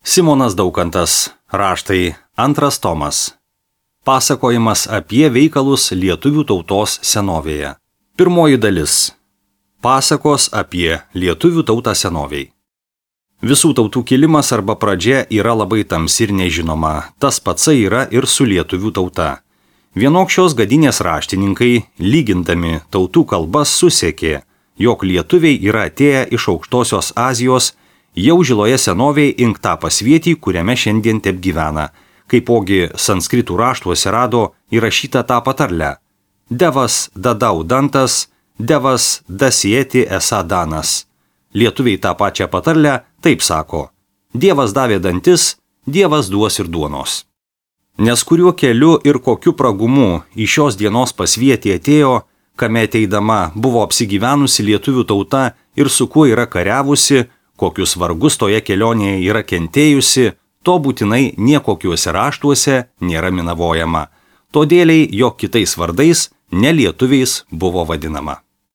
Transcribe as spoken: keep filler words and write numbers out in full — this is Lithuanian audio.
Simonas Daukantas, raštai, antras tomas. Pasakojimas apie veikalus lietuvių tautos senovėje. Pirmoji dalis. Pasakos apie lietuvių tautą senovėj. Visų tautų kilimas arba pradžia yra labai tamsi ir nežinoma, tas patsai yra ir su lietuvių tauta. Vienokščios gadinės raštininkai, lygindami tautų kalbas, susiekė, jog lietuviai yra atėję iš aukštosios Azijos, jau žiloje senovėje ink tą pasvietį, kuriame šiandien tep gyvena, kaipogi sanskritų raštuose rado įrašytą tą patarlę. Devas dadau dantas, devas dasieti esą danas. Lietuviai tą pačią patarlę taip sako. Dievas davė dantis, Dievas duos ir duonos. Nes kuriuo keliu ir kokiu pragumu į šios dienos pasvietį atėjo, kame ateidama buvo apsigyvenusi lietuvių tauta ir su kuo yra kariavusi, kokius vargus toje kelionėje yra kentėjusi, to būtinai niekokiuose raštuose nėra minavojama. Todėliai, jog kitais vardais nelietuviais buvo vadinama.